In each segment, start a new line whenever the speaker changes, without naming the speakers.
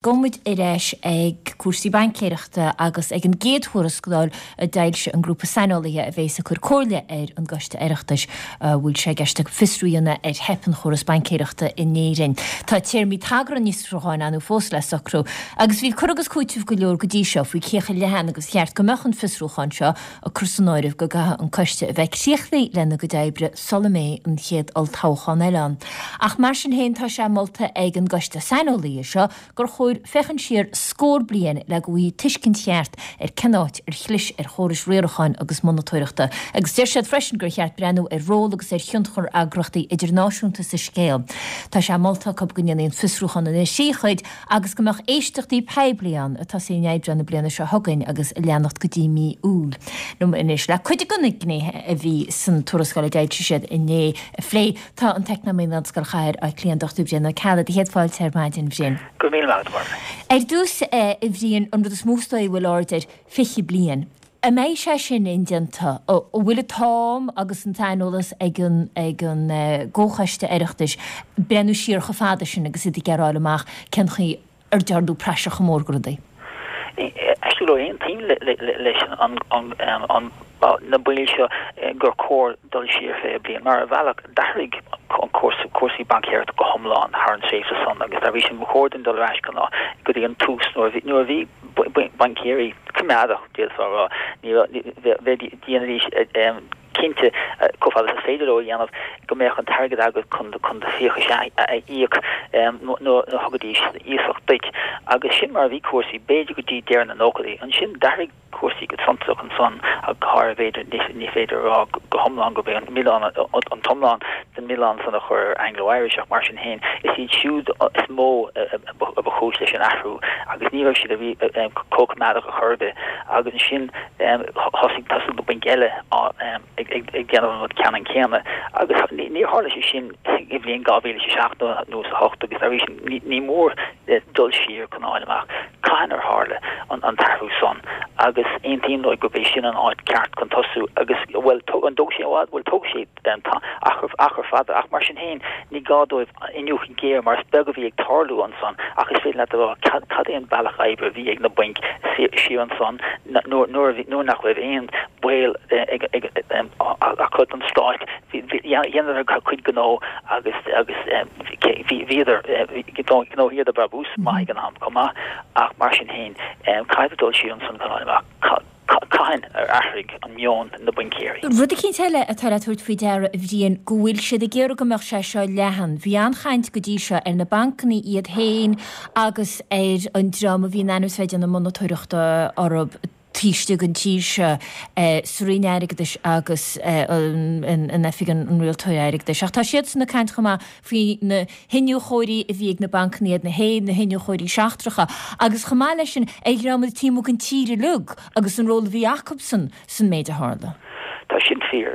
Gabhfaidh muid ar ais ag cúrsaí baincéireachta agus ag an gcéad thuarascáil a d'fhoilsigh an grúpa saineolaithe a bhéas ag cur comhairle ar an gCoiste Oireachtais a bhfuil sé i gceist acu fiosrú a dhéanamh ar theip an chóras baincéireachta in Éirinn. Tá téarmaí tagartha an fhiosrúcháin ann fós le socrú agus bhí cur agus cúiteamh go leor go dtí seo faoi cé chomh leathan agus cheart go mbeadh an fiosrúchán seo, ag cur san áireamh go gcaithfidh an coiste a bheith críochnaithe lena gcuid oibre sula mbeidh an chéad olltoghchán eile ann. Ach mar sin féin tá sé molta ag an gcoiste saineolaithe seo gur chóir féachaint siar scór bliain le go bhfaighfí tuiscint cheart ar cén áit ar chlis ar chórais riaracháin agus monatóireachta. Agus deir siad freisin gur cheart breathnú ar ról agus ar thionchar eagraíochtaí idirnáisiúnta sa scéal. Tá sé molta acu go ndéanfaí an fiosrúchán ina thrí chuid agus go mbeadh éisteachtaí poiblí ann ag tosú in Aibreán na bliana seo chugainn agus ag leanacht go dtí mí Iúil. Liom anois le cuid de na gnéithe a bhí san tuarascáil a d'fhoilsigh siad inné a phlé, tá an t-eacnamaí in Ollscoil Chathair Átha Cliath, an Dr Brian Ó Ceallaigh. Do chéad fáilte ar maidin, a Bhriain.
Go raibh míle maith agat, a Mháire.
Ar dtús, a Bhriain, an rud is mó is dóigh a bhfuil aird air, 20 bliain. An mbeidh sé sin indéanta? An bhfuil an t-am agus an t-aineolas ag an ag an gComhchoiste Oireachtais breathnú siar chomh fada sin agus iad ag iarraidh a fháil amach cén chaoi ar dearnadh praiseach mhór de rudaí?
Aistear go leor, aontaím leis an na baill seo gur chóir dul siar 20 bliain mar ar bhealach d'athraigh an cúrsaí baincéireachta go hiomlán thar an tréimhse san agus dá bhrí sin ba chóir dúinn dul ar ais go dtí an tús nuair a bhí baincéirí coimeádach, d'fhéadfá a rá. Ní raibh, dhéanaidís cinnte, chomh fada is is féidir leo a dhéanamh, go mbeadh an t-airgead agat chun do fiachais a íoc nuair a thugaidís iasacht duit. Agus sin mar a bhí cúrsaí, b'fhéidir go dtí deireadh na nóchaidí. Ansin d'athraigh cúrsaí go suntasach ansan, ach go háirithe, b'fhéidir, ní féidir a rá go hiomlán gurb é an milleán, an t-iomlán den mhilleán san a chur ar Anglo Irish ach mar sin féin, is iad siúd is mó a ba chúis leis an athrú agus ní raibh siad chomh coimeádach ar chor ar bith agus ansin thosaigh thosaigh na bainc eile ag déanamh an rud ceannann céanna agus níor tharla sé sin i bhliain 2007 nó is 8 agus dá bhrí sin ní mór dul siar chun a fháil amach cathain ar tharla an t-athrú san agus aontaím leo gurb é sin an áit ceart chun tosú agus bhuel an dtógfaidh sé i bhfad bhuel tógfaidh sé achar fada, ach mar sin féin, ní gá dóibh iniúchadh géar mar is beag a bhí ag tarlú ansan ach is féidir leat a rá cad é an bealach oibre a bhí ag na bainc siar ansan nuair nach raibh aon baol acu don stát. Dheineadar a gcuid gnó agus bhíodar, ghnóthaíodar brabús maith ag an am chomh maith ach mar sin féin, caithfidh dul siar ansan chun fháil amach. Cathain ar athraigh an meon na baincéirí?
Rud eicínt eile atá le tabhairt faoi deara, a Bhriain, go bhfuil siad ag iarraidh go mbeadh sé seo leathan. Bhí an-chaint go dtí seo ar na bancanna iad féin agus ar an dream a bhí in ainm is bheith ag déanamh monatóireachta orthu taobh istigh den tír seo, sa Roinn Airgeadais agus in Oifig an Rialtóir Airgeadais. Ach tá siadsan ag caint chomh maith faoi na hiniúchóirí a bhí ag na bancanna iad féin, na hiniúchóirí seachtracha, agus chomh maith leis sin, ar dhream taobh amuigh den tír uilig agus an ról a bhí acubsan san méid a tharla.
Tá sin fíor.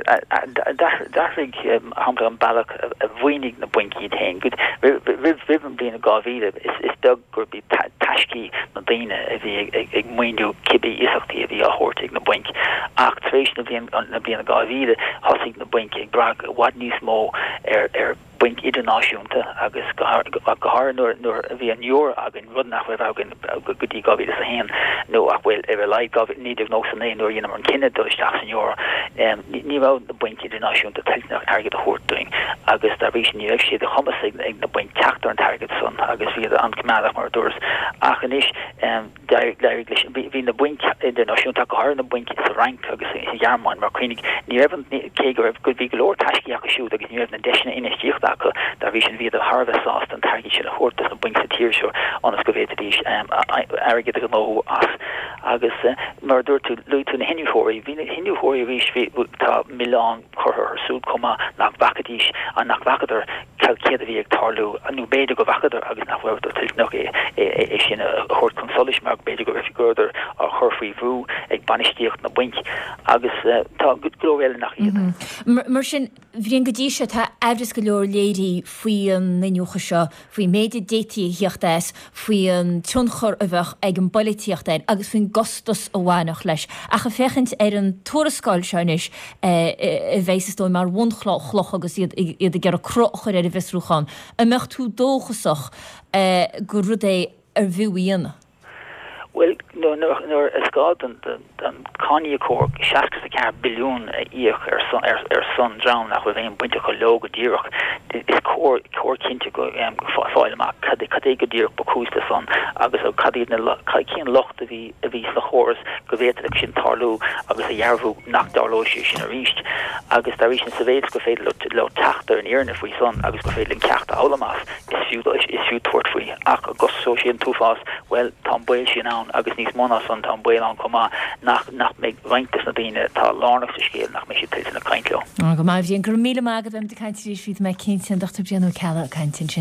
D'athraigh, mar shampla, an bealach a mhaoinigh na bainc iad féin. Roimh an bhliain 2000, is beag gurb iad taiscí na ndaoine a bhí ag maoiniú cibé iasachtaí a bhí á thabhairt ag na bainc. Ach tar éis na bliana 2000, thosaigh na bainc ag brath i bhfad níos mó ar bainc idirnáisiúnta agus go háirithe nuair a bhí an euro againn, rud nach raibh againn go dtí 2001 nó ach bhuel ar a laghad 1999 nuair a dheineamar an cinneadh dul isteach san euro, ní raibh na bainc idirnáisiúnta toilteanach airgead a thabhairt dúinn agus dá bhrí sin ní raibh sé de chumas ag na bainc teacht ar an t-airgead san agus bhíodar an-choimeádach mar a dúras. Ach anois. D'éirigh leis, bhí na bainc idirnáisiúnta, ach go háirithe na bainc sa Fhrainc agus sa Ghearmáin, mar cuimhnigh, ní raibh an, cé go raibh, bhí go leor taiscí acu siúd agus ní raibh na deiseanna infheistíochta acu, dá bhrí sin bhíodar thar a bheith sásta an t-airgead sin a thabhairt dos na bainc sa tír seo ionas go bhféadfaidís airgead a ghnóthú as. Agus mar a dúirt tú, luaigh tú na hiniúchóirí, bhí na hiniúchóirí arís, bhí, tá milleán curtha orthu siúd chomh maith nach bhfacaidís, nach bhfacadar céard a bhí ag tarlú, nó b'fhéidir go bhfacadar agus nach rabhadar toilteanach é sin a thabhairt chun solais mar b'fhéidir go rabhadar á chur faoi bhrú ag bainistíocht na bainc agus tá go leor eile nach iad.
Mar sin, Bhriain, go dtí seo tá aimhreas go leor léirithe faoi an iniúchadh seo, faoin méid a d'fhéadfaí a theacht as, faoi an tionchar a bheadh ag an bpolaitíocht air agus faoin gcostas a bhainfeadh leis. Ach ag féachaint ar an tuarascáil seo anois, a bheidh is dóigh mar bhunchloch agus iad ag iarraidh cruth a chur ar an bhfiosrúchán, an mbeadh tú dóchasach gur rud é. Arbh fhiú a dhéanamh?
Bhuel, nuair is gá don cáiníocóir 64 billiún a íoc ar son dream nach raibh aon baint acu leo go díreach, is cóir cinnte go fáil amach cad é go díreach ba chúis le san agus cad iad na, cén locht a bhí a bhí sna chóras go bhféadfadh sin tarlú agus a dhearbhú nach dtarlóidh sé sin arís agus dá bhrí sin sa mhéid is gur féidir leo teacht ar an fhírinne faoi san agus gur féidir linn ceacht a fhoghlaim as, is fiú is fiú tabhairt faoi. Ach an gcosnóidh sé an t-uafás? Bhuel, tá an baol sin ann agus níos mó ná san, tá an baol ann chomh maith nach nach mbeidh roinnt des na daoine atá lárnach sa scéal, nach mbeidh siad toilteanach caint leo.
Go maith, a Bhriain. Go raibh míle maith agat. Beimid ag caint arís, bhí mé cinnte, an Dr Brian Ó Ceallaigh ag caint ansin.